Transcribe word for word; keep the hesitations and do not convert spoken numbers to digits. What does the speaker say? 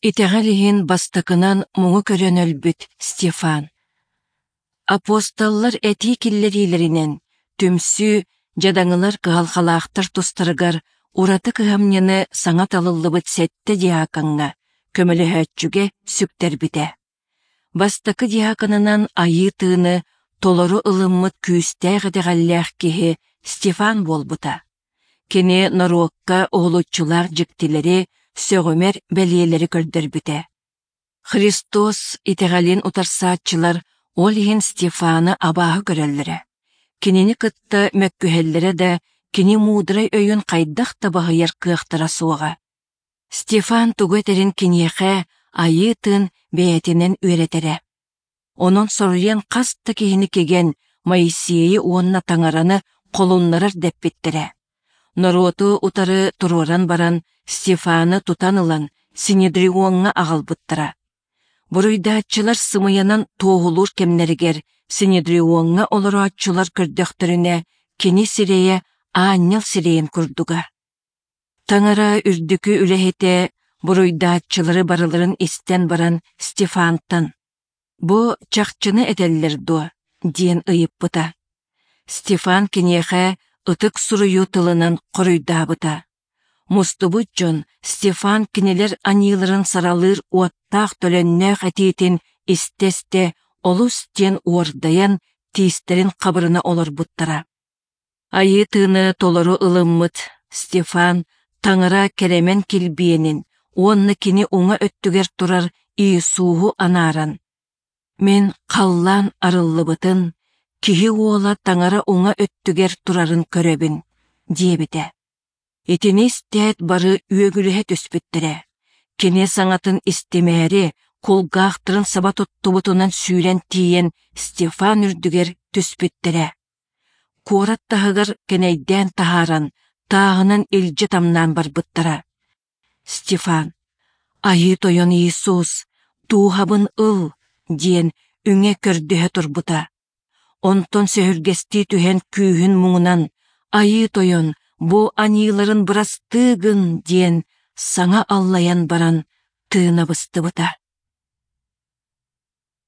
Итэҕэл иһин бастакынан муҥу көрөн өлбүт Стефан. Апостоллар этии киллэриилэринэн, түмсүү дьадаҥылар кыһалҕалаахтар тустарыгар ураты кыһамньыны саҥа талыллыбыт сэттэ диакоҥҥа, көмөлөһөөччүгэ сүктэрбитэ. Бастакы диаконынан Айыы Тыыны толору ылыммыт күүстээх итэҕэллээх киһи Стефан буолбута. Кини норуокка уһулуччулаах дьиктилэри, сөҕүмэр бэлиэлэри көрдөрбүтэ. Христос итэҕэлин утарсааччылар ол иһин Стефаны абааһы көрөллөрө. Кинини кытта мөккүһэллэрэ да, кини муударай өйүн хайдах да баһыйар кыахтара суоҕа. Стефан тугу этэрин киниэхэ Айыы Тыын бэйэтинэн үөрэтэрэ. Онон соруйан хас да киһини кигэн Моисейы уонна Таҥараны холуннарар дэппиттэрэ. Норуоту утары туруоран баран Стефаны тутан ылан Синедриоҥҥа аҕалбыттара. Буруйдааччылар сымыйанан туоһулуур кэмнэригэр Синедриоҥҥа олорооччулар көрдөхтөрүнэ кини сирэйэ аанньал сирэйин курдуга. Таҥара үрдүкү үлэһитэ буруйдааччылары барыларын истэн баран Стефантан «Бу чахчыны этэллэр дуо?» диэн ыйыппыта. Стефан киниэхэ ытык суруйуу тылынан хоруйдаабыта. Мустубут дьон Стефан кинилэр аньыыларын саралыыр уоттаах-төлөннөөх этиитин истэ-истэ олус диэн уордайан тиистэрин хабырына олорбуттара. Айыы тыыны толору ылыммыт Стефан Таҥара кэрэмэн килбиэнин уонна кини уҥа өттүгэр турар Иисуһу анааран, «Мин халлаан арыллыбытын, киһи уола Таҥара уҥа өттүгэр турарын көрөбүн», диэбитэ. Итини истээт бары үөгүлэһэ түспүттэрэ. Кини саҥатын истимээри, кулгаахтарын саба туттубутунан сүүрэн тиийэн Стефан үрдүгэр түспүттэрэ. Куорат таһыгар кэнэйдээн таһааран, тааһынан илдьи тамнаан барбыттара. Стефан: «Айыы Тойон Иисус, дууһабын ыл!» диэн үҥэ көрдөһө турбута. Онтон сөһүргэстии түһэн күүһүн муҥунан «Айыы Тойон, бу аньыыларын бырастыы гын!» диэн саҥа аллайан баран тыына быстыбыта.